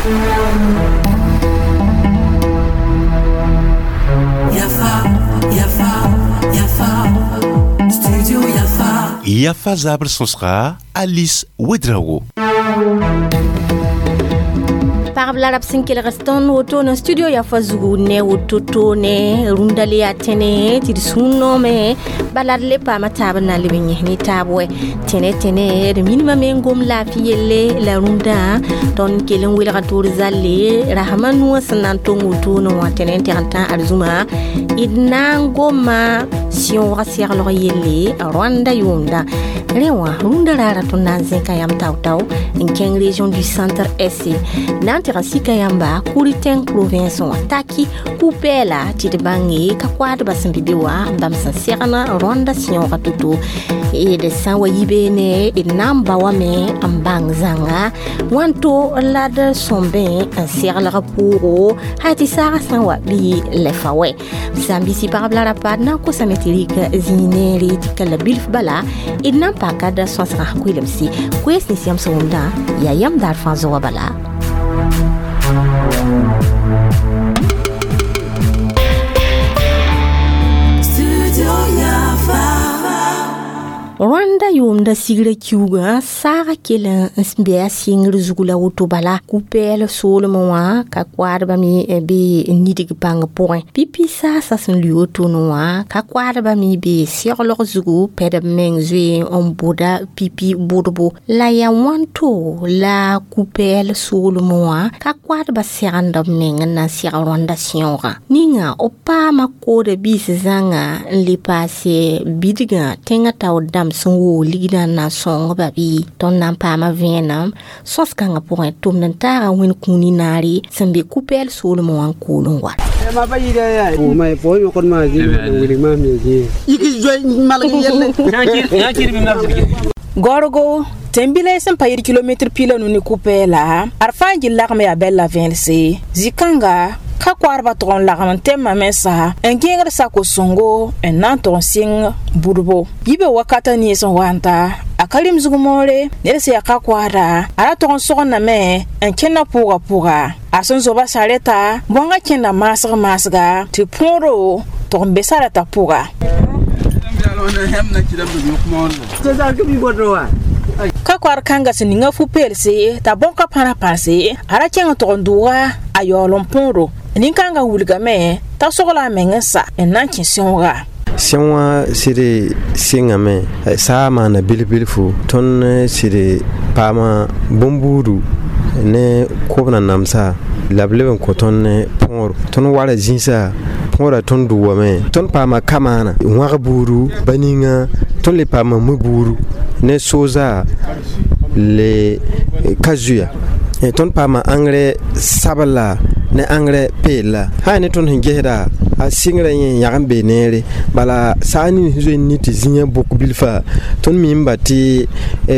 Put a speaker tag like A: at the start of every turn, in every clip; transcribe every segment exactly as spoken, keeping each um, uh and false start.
A: Yafa, Yafa, Yafa, Studio Yafa.
B: Yafa zabr sõsga Alice Ouedraogo.
C: Pagb la rab sẽn kelg tõnd woto na studio Yafa zugu ne woto to ne rũndã le yaa tẽne tɩ d sũur noome bala d le paama taab n na n leb n yẽs ne taab wɛ tẽne tẽne d minimame n gom laafɩ yelle la rũndã tõnd kell n welga toor zalle rasmã nuwã sẽn na n tong wotone wã tẽne n tɛg n tã arzũma d na n goma sẽoogã seglg yelle Rwanda yʋʋmdã rẽ wã rũndã raara tõnd na n zẽka yãmb tao-tao n kẽng région du centre est na n tɩg n sika yãmba Kouriteng province wã taki ku-pɛɛla tɩ d bãnge ka koaadbã sẽn be be wã n bãmb sẽn segn Rwanda sẽoogã to-to d sã n wa yi beene d na n ba wame n bãng zãnga wãnto la d sõmbẽ n seglg pʋʋgo haa tɩ saagã sã n wa bɩ lɛfa wɛ sãn-bisi pagb la rapa d na n kosame tɩ rɩk zĩig neere tɩ ka la bilf bala d na n paka d sõsgã koelemse koees nins yãmb sẽn wʋmdã yaa yãmb daar fãa zoa bala. Rwanda yʋʋmda sigra kiuugã saagã kell n be a sɩngr zug la woto bala ku-pɛɛl soolmẽ wã ka koaadbã me be nidg pãng pʋgẽ pipi saasã sẽn lʋɩ wotone wã ka koaadbã me be seglg zugu pɛd b meng zoe n bʋda pipi bʋdbo la yaa wãnto la ku-pɛɛl soolmẽ wã ka koaadbã segenda b meng n na n seg Rwanda sẽoogã ninga b paama kooda biis zãnga n le paase bidgã tẽngã taoor dãmb sẽn woog ligdã n na n sõngba bɩ tõnd na n paama vẽenem sõs-kãngã pʋgẽ tʋmd n taaga wẽnd kũuni naare sẽn be ku-pɛɛl soolmẽ wã n kool n wa.
D: Gorgo tẽn-bilã sẽn pa yɩr kilometr pila nu ne ku-pɛɛla ad fãa gil lagme yaa bɛl la vẽelse zĩ-kãnga ka koaadbã tʋg n lagem n tẽmã mensa n gẽegd sako-sõngo n na n tʋg n sɩng budbo yibe wakata nins n wa n ta a ka rɩm zug moore ned sẽn yaa ka koaada a ra tʋg n sogendame n kẽnda pʋʋga pʋga a sẽn zoba sarɛta bõngã kẽnda maasg maasga tɩ põoro tʋg n be sarɛta pʋga. Ka koaad kãngã sẽn ninga fu-peelse t'a bõn ka pãra pãrse a ra kẽng tʋg n dʋʋga a yaool n põoro nin-kãngã wilgame t'a sogla a meng n sa n na n kẽ sẽooga.
E: Sẽn wã sɩd sɩngame saa maana bilf-bilfu tõnd sɩd paama bõn-buudu ne kobna namsa la b leb n kõ tõnd põor tõnd wara zĩisa põora tõnd dʋʋame tõnd paama ka-maana wãg buudu ba ninga tõnd le paama mu-buudu ne sooza le ka zuya tõnd paama engrais sabla ne engrais peella sã ne tõnd sẽn gesda a sɩngrã yẽ yag n bee neere bala saa ning sẽn zoe n ne tɩ zĩigã bʋk bilfa tõnd mimba tɩ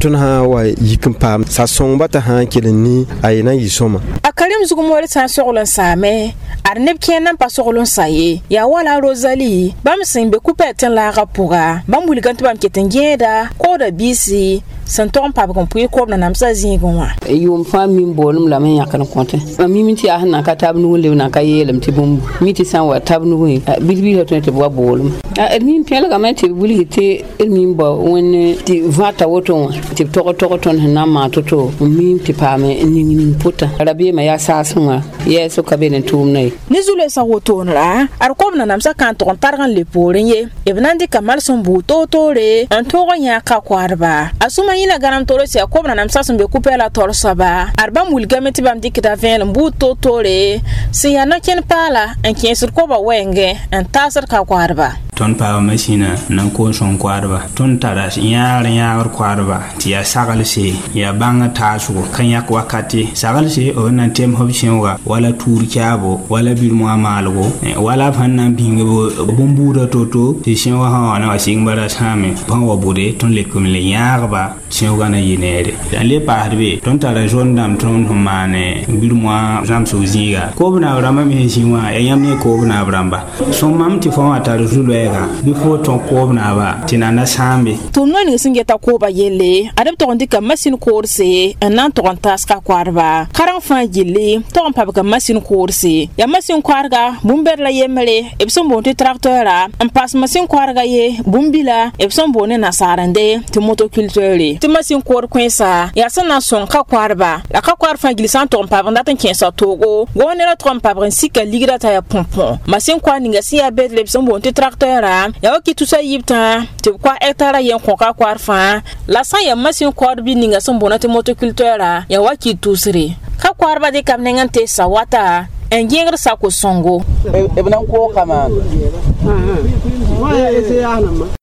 E: tõnd sã n wa yik n paam sa sõngba t'a sã n kell n ni a ye na n yɩ sõma.
D: A karim zug moore sã n sogl n saame ad neb kẽer nan pa sogl n sa ye yaa wala a Rosalie bãmb sẽn be ku-pɛɛl tẽn-laagã pʋga bãmb wilgame tɩ bãmb ket n gẽeda kooda biisi sẽn tog n pabg n pʋɩ kob nanamsã zĩigẽ wã.
F: Yʋʋm fãa mim boolem lame n yãkd n kõtẽ mam mim tɩ yaa sẽn na ka tab nug n leb na ka yeelame tɩ bũmb mi tɩ sã n wa tab nugẽ bilf-bilfã tõe tɩ b wa boolem d mim pẽelgame tɩ b wilg tɩ d mim bao wẽnd tɩ vãta woto wã tɩ b tog tog tõnd sẽn na n maan to-to n mim tɩ paam n ning ning pʋtã rabeemã yaa saasẽ wã yɛɛsg ka be ne tʋʋmdã ye.
D: Ne zu-loeesã wotoonra ad kob nanamsã ka n tʋg n targ n le poorẽ ye b na n dɩka mals n buud toor-toore n tõog n yãag ka koaadba a sũma yĩna gãnem toore sẽn yaa kob nanamsã sẽn be ku-pɛɛlã taoor soaba ad bãmb wilgame tɩ bãmb dɩkda vẽel n buud toor-toore sẽn yaa na-kẽn paala n kẽesd koba wɛɛngẽ n taasd ka koaadba.
G: Tõnd paama masĩnã na n koos sõng koaadba tõnd tara yãagr yãagr koaadba tɩ yaa saglse yaa bãngã taasgo ka yãk wakate saglse b na n tems b sẽooga wala tuur caabo wala bir-moã maalgo wala b sẽn na n bĩng bõn-buudã to-to tɩ sẽoogã sã wa na wa sɩng bara sãame sẽn wa bʋde tõnd lekem le yãagba sẽoogã na yɩ neere n le paasd be tõnd tara zond dãmb tõnd sẽn maan bir-moã zãmsg zĩiga koob naab rãmbã me sẽn zĩ wã yaa yãmb ne koob naab rãmba sõm mam tɩ fõ wã tar zu-loɛɛga koɛɛga bɩ fo tõog koob naaba tɩ na na sãambe
D: tʋʋm no ning sẽn geta kooba yelle ad b tog n dɩka masin koorse n na n tog n taas ka koadba kareng fãa gilli tog n pabga masin koorse yaa masin koadga bũmb-bɛd la yembre b sẽn boond tɩ trakteura n paas masin koadga ye bũmb-bila b sẽn boond ne nasaarende tɩ motoculteure tɩ masin koor kõensa yaa sẽn na n sõng ka koadba la ka koad fãa gilli sã n tog n pabg n dat n kẽesa toogo gõonera tog n pabg n sika ligra t'a yaa põpõ masin koad ninga sẽn yaa bedre b sẽn boond tɩ trakteura yaa wa kɩ tusa yiib tã tɩ b koa hectara yen kõ ka koad fãa la sã n yaa masin koad bɩ ninga sẽn boond tɩ motoculteura yaa wa kɩ tusre ka koadba dɩka b neng n teesa wata n gẽegd sako sõngo
H: b na n koog ka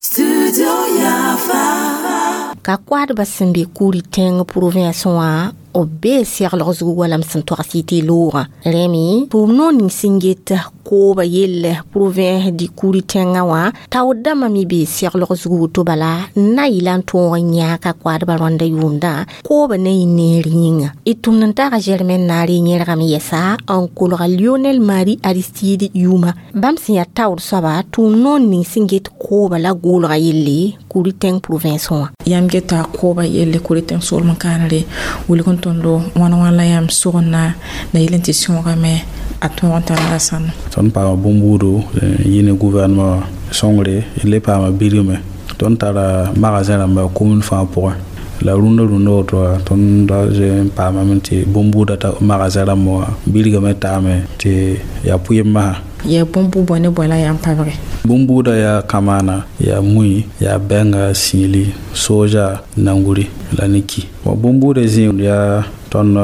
A: Studio Yafa.
C: Ka koadba sẽn be kuri tẽng province wã b bee seglg zug wala m sẽn togs yɩ tɩ loogã rẽme tʋʋm noor ning sẽn get kooba yell province dɩ kuri tẽngã wã taood dãmbã me bee seglg zug woto bala n na yɩla n tõog n yãag koadba rõanda yʋʋmdã kooba na yɩ neer yĩnga d tʋmd n taga Germaine Naare yẽrgame yɛsa n kolga Lionel Marie Aristide yʋʋma bãmb sẽn yaa taood soaba tʋʋm noor ning sẽn get kooba la goolga yelle kuri tẽng province wã
D: yãmb geta kooba yelle kuri tẽng soolem kãanere wilg n tõndo wãna wãna la yãmb sogna la yel n tɩ sõogame a tõog n tara la sãn
I: tõnd paama bũmb-buudo yɩ ne gouvernement sõngre le paama bilgme tõnd tara magasin rãmba commune fãa pʋgẽ la rũndã rũndã woto wã tõnd da zoe n paamame tɩ bũmb-buudã ta magasin rãmba wã bilgame taame tɩ yaa pʋɩm masã
D: yaa bũmb-bʋ bõe ne bõe la yãmb pabge
I: bũmb-buudã yaa kamaana yaa mui yaa bɛnga sĩili soja nanguri la ne ki bũmb-buudã zĩig yaa tõnd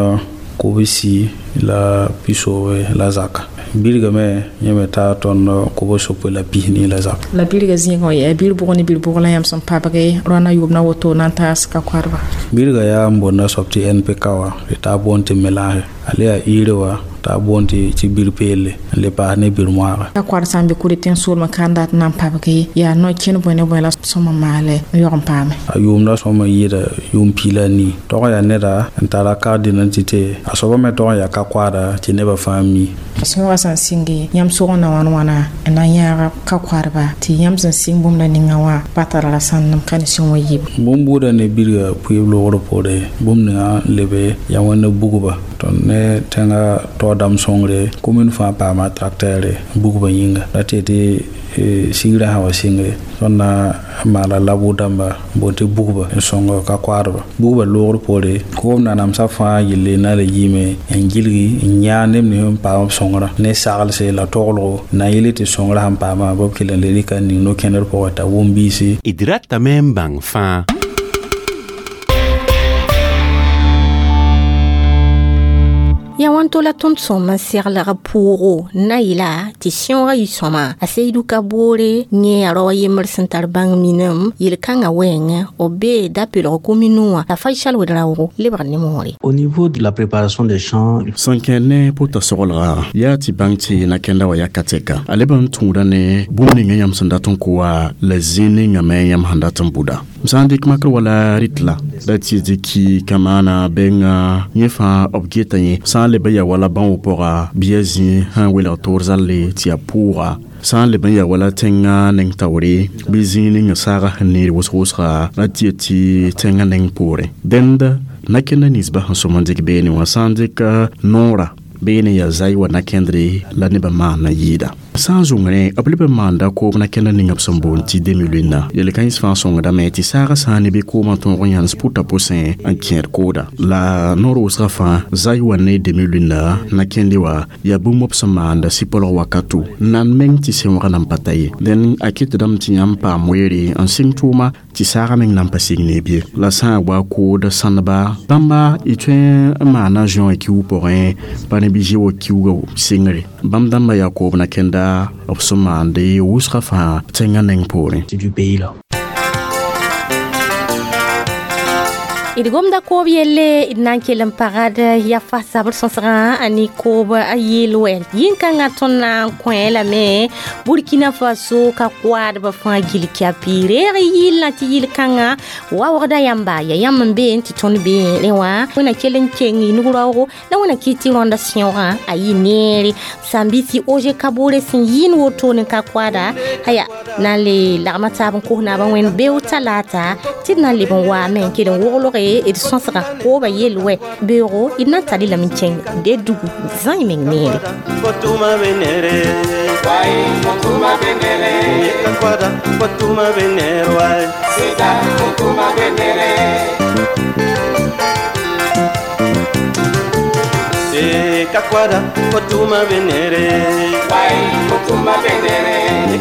I: kobsi la pisoobe la zaka bilgame yẽ me taa tõnd kob-sopoe la pisni la zaka
D: la bilga zĩigã yaa bil bʋg ne bil bʋg la yãmb sẽn pabge rõana yʋʋm na woto na n taas ka koadba
I: bilga yaa n boonda soab tɩ N P K wã tɩ taa boond tɩ mélange a le yaa iire wã t'a boond tɩ tɩ bir peelle n le paas ne bir moaaga
D: ka koad sã n be kuri tẽng soolmã ka n dat n na n pabge yaa no-kẽn bõe ne bõe la sõma maale n yog n paame
I: a yʋʋmda sõma yɩɩda yʋʋm piila a nii tog n yaa neda n tara carte d'identité a soaba me tog n yaa ka koada tɩ nebã fãa mi
D: sõoga sã n sɩnge yãmb sog n na wãn wãna n na n yãaga ka koadba tɩ yãmb sẽn sɩng bũmb la ninga wã pa tara la sãnem ka ne sẽn wa yiib
I: bũmb-buudã ne bilga pʋɩɩb loogr poore bũmb ninga n lebe yaa wẽnd bugba tõnd ne tẽngã taood dãmb sõngre commune fãa paama tracteur bugba yĩnga la tɩ tɩ sigrã sã wa sɩngre tõnd na n maala labʋ dãmba n boond tɩ bugba n sõng ka koadba bugba loogr poore koom nanamsã fãa yelle na la yiime n gilgi n yãag neb nins n paam b sõngrã ne saglse la toglgo n na n yele tɩ sõngrã sẽn paamã b kell n le rɩka n ning no-kẽndr pʋgẽ t'a wʋm biisi
B: d ratame n bãng fãa
C: Ya wãnto la tõnd sõm n seglg pʋʋgo na yɩla tɩ sẽoogã yɩ sõma a Seydou ka boore yẽ yaa rao a yembr sẽn tar bãng minem yel-kãngã wɛɛngẽ b bee da-peelg kominu wã la Faisal Wedraoogo lebg ne moore.
J: Au niveau de la préparation des champs,
K: sẽn kẽ ne pʋta soglga yaa tɩ bãng tɩ na-kẽnda wã ya ka tɛka a leb n tũuda ne bũmb ninga yãmb sẽn dat n kʋ wa la zĩ ninga me yãmb sẽn dat n buda m sã n dɩk makr wala rɩtla la tɩ dɩk kamaana benga yẽ fãa b geta yẽ sã n leb n yaa wala bão pʋga bɩ ya zĩ sẽn welg toor zalle tɩ yaa pʋʋga sã n leb n yaa wala tẽngã neng taoore bɩ zĩig ning saaga sẽn neer wʋsg-wʋsga la tɩ yet tɩ tẽngã neng poorẽ dẽnd na-kẽnda ninsbã sẽn sõm n dɩk beene wã sã n dɩk noora beene yaa zay wa na-kẽndre la nebã maana yɩɩda sã n zʋngrẽ b leb n maanda koob na-kẽnda ninga b sẽn boond tɩ demi-lune yel-kãens fãa sõngdame tɩ saaga sã n ne bɩ koomã tõog n yãnes pʋta pʋsẽ n kẽed kooda la noor wʋsgã fãa zay wa ne demi-lune na-kẽnde wã yaa bũmb b sẽn maanda sɩ-polg wakato nan meng tɩ sẽoogã nan pa ta ye dẽn a kɩtdame tɩ yãmb paam weere n sɩng tʋʋma tɩ saagã meng nan pa sig ne bɩ la sã n wa kood sãneba bãmba y tõe n maana zõ kiug pʋgẽ pa ne bɩ zɩ wa kiuugã sɩngre bãmb dãmbã yaa koob na-kẽnda b sẽn maande wʋsgã fãa tẽngã neng poorẽ
J: du pays là.
C: D gomda koob yelle, d na n kell n pagd yafa sabr sõsgã ne koob a yeel wɛ. Yĩn-kãngã tõnd na n kõ lame Burkina Faso ka koadbã fãa gill kɛapi reeg yɩllã, tɩ yɩl-kãngã waoogda yãmba ya yãmb n be tɩ tõnd be rẽ wã. Wẽna kell n keng y nug-raoogo la wẽna kɩ tɩ rõanda sẽoogã a yɩ neere. Sãn-biisi Oge Kabore sẽn yɩɩn wotone ka koada aya na n le lagma taab n kos naabã wẽnd beo talaata, tɩ d na n leb n waame n kell n woglge d sõsga kooba yel wɛ. Beoogo d na n tar lame n kẽng de dugu zãe meng neere.
L: Fotuma venere, wai fotuma venere, kakwada fotuma venere, wai sida fotuma venere. Eh, kakwada fotuma venere, wai fotuma venere,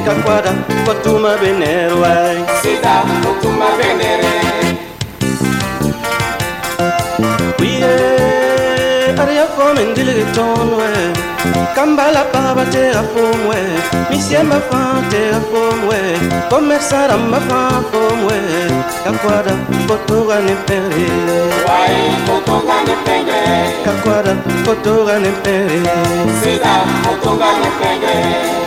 L: kakwada fotuma venere, wai sida fotuma venere. Aria fom en dilge ton we kambala paba te a fom we misiemba fa te a fom we commerçara ma fa fom we kakwada fotoga ne pere, wai fotoga ne pere, kakwada fotoga ne pere, sida fotoga ne pere.